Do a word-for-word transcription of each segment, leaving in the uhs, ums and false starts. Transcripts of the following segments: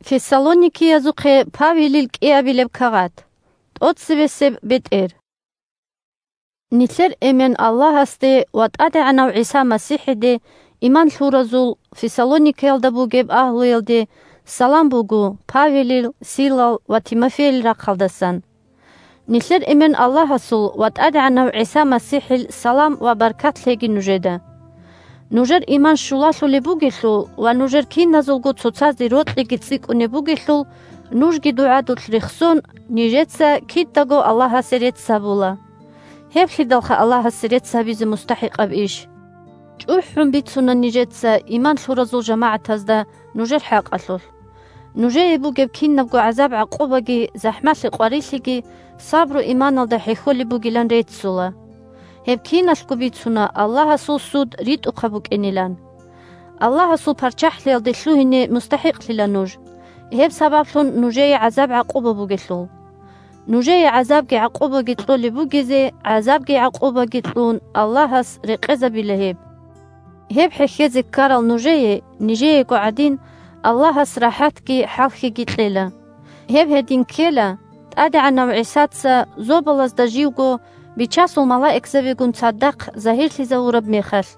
Фессалоникиязухъе Павелил кӀиабилеб кагъат. ТӀоцебесеб бетӀер. Нилъер Эмен Аллагьасде ва ТӀадегӀанав ГӀиса МасихӀиде иман лъуразул Фессалоникиялда бугеб агьлуялде салам буго Павелил, Силал ва Тимофейил рахъалдасан. Нилъер Эмен Аллагьасул ва ТӀадегӀанав ГӀиса МасихӀил салам ва баркат лъеги нужеда. Нужер иман щулалъулеб бугелъул ва нужер киназулго цоцазде рокьиги цӀикӀкӀунеб бугелъул, нужги дугӀадулъ рехсон, нижеца кидаго Аллагьасе рецц гьабула. Гьеблъидалха Аллагьасе рецц гьабизе мустахӀикъаб иш? ЧӀухӀун бицуна нижеца иман лъуразул жамагӀатазда нужер хӀакъалъулъ. Нужее бугеб кинабго гӀазаб-гӀакъубаги, захӀмалъи-къварилъиги сабру-иманалда хӀехьолеб бугилан реццула. Гьеб киналъго бицуна Аллагьасул суд ритӀухъаб букӀинилан. Аллагьасул ПарччахӀлъиялде лъугьине мустахӀикълъила нуж. Гьеб сабаблъун нужее гӀазаб-гӀакъуба бугелъул. Нужее гӀазабги-гӀакъубаги кьолеб бугезе, гӀазабги-гӀакъубаги кьун, Аллагьас рекъезабила гьеб. Гьеб хӀехьезе ккарал нужее, нижеего гӀадин, Аллагьас рахӀатги хӀалхьиги кьела. Гьеб гьедин ккела, ТӀадегӀанав ГӀисаца зобалазда живго Бичасул малаикзабигун цадахъ загьирлъизавураб мехалъ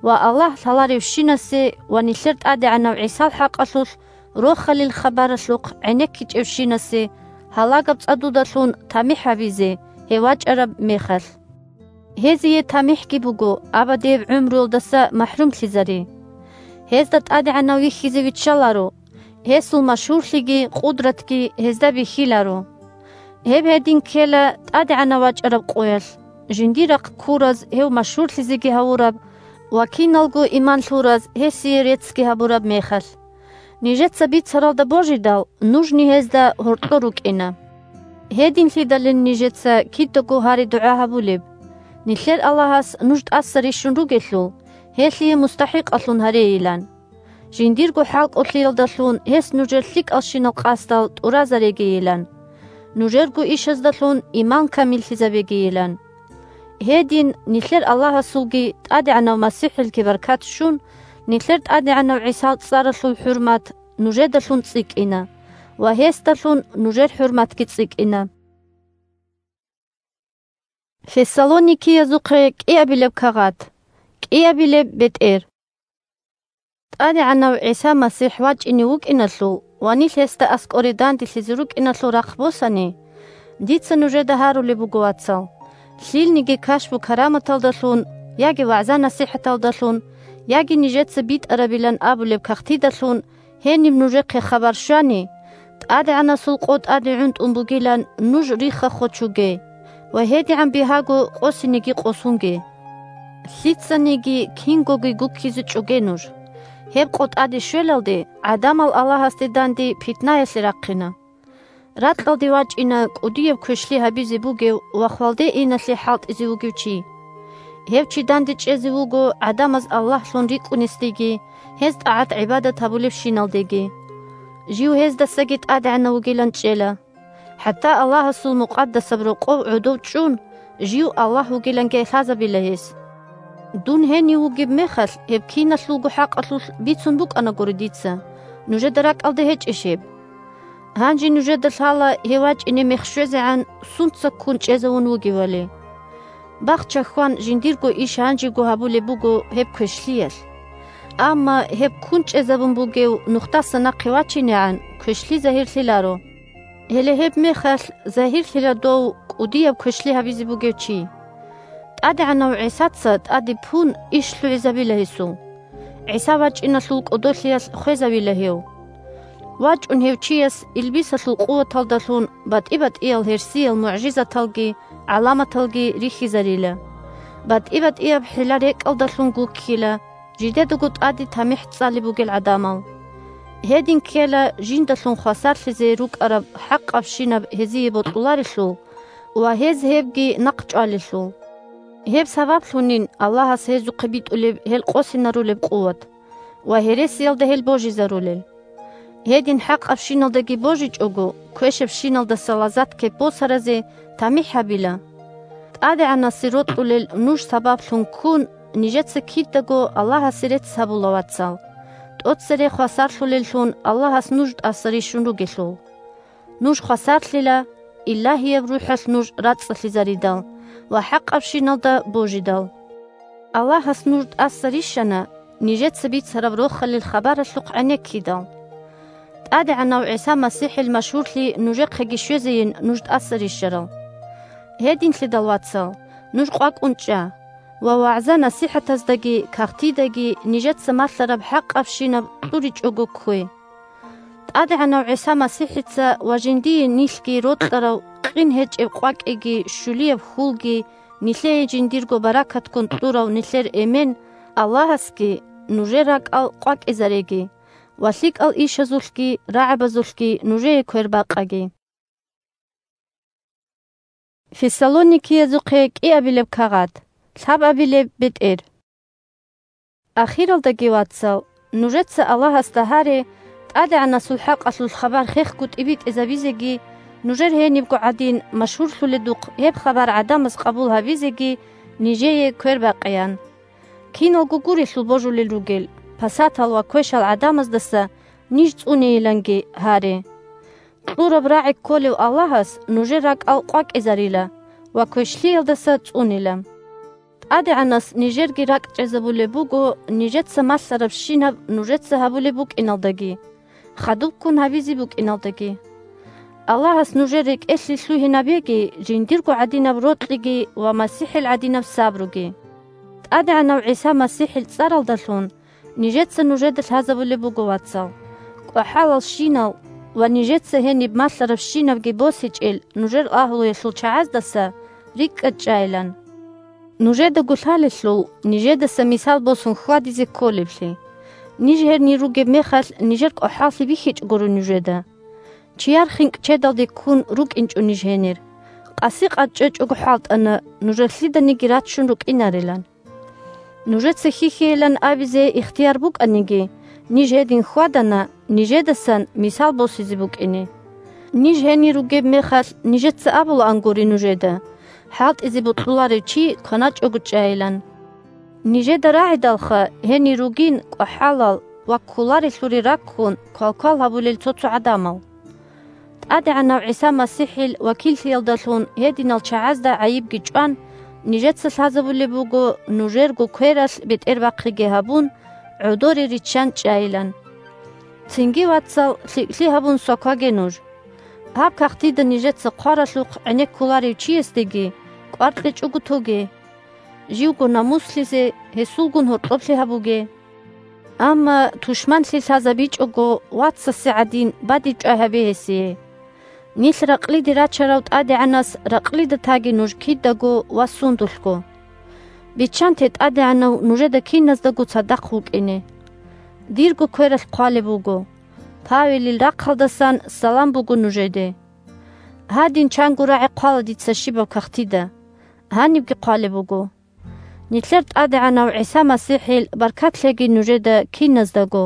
ва Аллагь лъаларевщинасе ва нилъер ТӀадегӀанав ГӀисал хӀакъалъулъ Рохалил хабаралъухъ гӀенеккичӀевщинасе гьалагаб цӀадудалъун тамихӀ гьабизе гьев вачӀараб мехалъ. Гьезие тамихӀги буго абадияб гӀумруялдаса махӀрумлъизари. Гьезда ТӀадегӀанав вихьизе виччаларо, гьесул машгьурлъиги къудратги гьезда бихьиларо. Гьеб гьедин ккела ТӀадегӀанав вачӀараб къоялъ, жиндир рахъ ккураз гьев машгьурлъизеги гьавураб ва киналго иман лъураз гьесие реццги гьабураб мехалъ. Нижеца бицаралда божидал, нужни гьезда гьоркьор рукӀина. Гьединлъидалин нижеца кидаго гьари-дугӀа гьабулеб. Нилъер Аллагьас нуж тӀаса рищун ругелъул, гьелъие мустахӀикъалъун гьарейилан. Жиндирго хӀалкӀолъиялдалъун гьес нужер лъикӀалщинал къасдал тӀуразарегийилан. Нужерго ишаздалъун иман камиллъизабегийилан. Гьедин, нилъер Аллагьасулги ТӀадегӀанав МасихӀилги баркат щун, нилъер ТӀадегӀанав ГӀисал цӀаралъул хӀурмат нужедалъун цӀикӀкӀина ва гьесдалъун нужер хӀурматги цӀикӀкӀина. Фессалоникиязухъе кӀиабилеб кагъат. КӀиабилеб бетӀер. ТӀадегӀанав ГӀиса МасихӀ вачӀине вукӀиналъул ва нилъ гьесда аскӀоре данделъизе рукӀиналъул рахъ босани, дица нужеда гьарулеб буго, вацал, лъилниги кашпу-караматалдалъун, яги вагӀза-насихӀаталдалъун, яги нижеца битӀарабилан абулеб кагътидалъун гьениб нужехъе хабар щвани, ТӀадегӀанасул къо тӀаде гӀунтӀун бугилан нуж рихха-хочуге ва гьедигӀан бигьаго къосинеги къосунге. Лъицаниги кингоги гуккизе чӀоге нуж. Гьеб къо тӀаде щвелалде гӀадамал Аллагьасде данде питнаялъе рахъина. Ракьалде вачӀина кӀудияб квешлъи гьабизе бугев ва хвалде иналъе хӀалтӀизе вугев чи. Гьев чи данде чӀезе вуго гӀадамаз Аллагьлъун рикӀкӀунесдеги, гьез тӀагӀат-гӀибадат гьабулебщиналдеги. Жив гьездасаги тӀадегӀанав вугилан чӀела. ХӀатта Аллагьасул мукъадасаб рокъов гӀодов чӀун, жив Аллагь вугиланги лъазабила гьес. Дун гьенив вугеб мехалъ, гьеб киналъулго хӀакъалъулъ бицун букӀанагури дица, нужеда ракӀалда гьечӀищ гьеб? Гьанже нужеда лъала гьев вачӀине мех щвезегӀан сунца ккун чӀезавун вугевали. Бахча хьван жиндирго иш гьанжего гьабулеб буго гьеб квешлъиялъ. Амма гьеб ккун чӀезабун бугев нухдасан нахъе вачинегӀан квешлъи загьирлъиларо. Гьеле гьеб мехалъ загьирлъила дов кӀудияб квешлъи гьабизе бугев чи. ТӀадегӀанав ГӀисаца тӀаде пун иш лъугӀизабила гьесул. ГӀиса вачӀиналъул кӀодолъиялъ хвезавила гьев. ВачӀун гьев чияс илбисалъул къуваталдалъун батӀи-батӀиял гьерсиял мугӀжизаталги гӀаламаталги рихьизарила. БатӀи-батӀияб хӀила-рекӀалдалъун гуккила жидедаго тӀаде тамихӀ цӀалеб бугел гӀадамал. Гьедин ккела жиндалъун хвасарлъизе рукӀараб хӀакъабщинаб гьезие бокьуларелъул ва гьез гьебги нахъчӀвалелъул. Гьеб сабаблъунин Аллагьас гьезухъе битӀулеб гьел къосинарулеб къуват ва гьересиялда гьел божизарулел. Гьедин хӀакъабщиналдаги божичӀого, квешабщиналдаса лаззат кеп босаразе тамихӀ гьабила. ТӀадегӀанасе рокьулел нуж сабаблъун ккун, нижеца кидаго Аллагьасе рецц гьабула, вацал. тӀоцере хвасарлъулеллъун Аллагьас нуж тӀаса рищун ругелъул. Нуж хвасарлъила, Илагьияб РухӀалъ нуж рацӀцӀалъизаридал ва хӀакъабщиналда божидал. Аллагьас нуж тӀаса рищана, нижеца бицараб Рохалил хабаралъухъ гӀенеккидал. ТӀадегӀанав ГӀиса МасихӀил машгьурлъи нужехъеги щвезейин нуж тӀаса рищарал. Гьединлъидал, вацал, нуж къвакӀун чӀа ва вагӀза-насихӀатаздаги кагътидаги нижеца малъараб хӀакъабщинаб кьуричӀого ккве. ТӀадегӀанав ГӀиса МасихӀица ва жиндие нилъги рокьарав къин гьечӀеб къвакӀиги щулияб хьулги нилъее жиндирго баракатккун кьурав нилъер Эмен Аллагьасги нужер ракӀал къвакӀизареги ва лъикӀал ишазулъги рагӀабазулъги нужее квербакъаги. Фессалоникиязухъе кӀиабилеб кагъат, лъабабилеб бетӀер. Ахиралдаги, вацал, нужеца Аллагьасда гьаре, ТӀадегӀанасул хӀакъалъулъ хабар хехго тӀибитӀизабизеги, нужер гьенибго гӀадин машгьурлъуледухъ гьеб хабар гӀадамаз къабул гьабизеги нижее квербакъеян. Киналго гурелъул божулел ругел, пасатал ва квешал гӀадамаздаса ниж цӀунейиланги гьаре. Кьураб рагӀи кколев Аллагьас нужер ракӀал къвакӀизарила ва квешлъиялдаса цӀунила. ТӀадегӀанас нижерги ракӀчӀезабулеб буго, нижеца малъарабщинаб нужеца гьабулеб букӀиналдаги, хадубккун гьабизе букӀиналдаги. Аллагьас нужер рекӀелъе лъугьинабеги жиндирго гӀадинаб рокьиги ва МасихӀил гӀадинаб сабруги. ТӀадегӀанав ГӀиса МасихӀил цӀаралдалъун нижеца нужеда лъазабулеб буго, вацал, кӀвахӀалалщинал ва нижеца гьениб малъарабщинабги босичӀел нужер агьлуялъул чагӀаздаса рикӀкӀад чӀайилан. Нужедаго лъалелъул, нижедаса мисал босун хьвадизе кколеблъи. Ниж гьенир ругеб мехалъ, нижер кӀвахӀаллъи бихьичӀ гуро нужеда. Чияр хинкӀ чедалде ккун рукӀинчӀо ниж гьенир. Къаси-къад чӀечӀого хӀалтӀана, нужер лъиданиги рачун рукӀинарилан. Нужеца хьихьейилан абизе ихтияр букӀаниги, ниж гьедин хьвадана, нижедасан мисал босизе букӀине. Ниж гьенир ругеб мехалъ, нижеца абулаангури нужеда: «ХӀалтӀизе бокьуларев чи кваначӀого чӀайилан». Нижеда рагӀидалха гьенир ругин кӀвахӀалал ва кколарелъуре раккун квалквал гьабулел цо-цо гӀадамал. ТӀадегӀанав ГӀиса МасихӀил вакиллъиялдалъун гьединал чагӀазда гӀайибги чӀван, нижеца лъазабулеб буго, нужерго квералъ бетӀербахъиги гьабун, гӀодоре риччан чӀайилан. Цинги, вацал, лъикӀлъи гьабун свакваге нуж. Гьаб кагътида нижеца хъваралъухъ гӀенеккуларев чиясдеги кӀвар кьечӀого тоге. Живго намуслъизе, гьесулгун гьоркьоблъи гьабуге. Амма тушманлъи лъазабичӀого вацасе гӀадин бадиб чӀвай гьабе гьесие. Нилъ ракълиде рачарав ТӀадегӀанас ракълида таги нуж кидаго ва сундулъго. Биччанте ТӀадегӀанав нужеда киназдаго цадахъ вукӀине. Дирго квералъ хъвалеб буго: «Павелил рахъалдасан салам буго нужеде». Гьадин чанго рагӀи хъвала дица щибаб кагътида. Гьанибги хъвалеб буго: «Нилъер ТӀадегӀанав ГӀиса МасихӀил баркат лъеги нужеда киназдаго».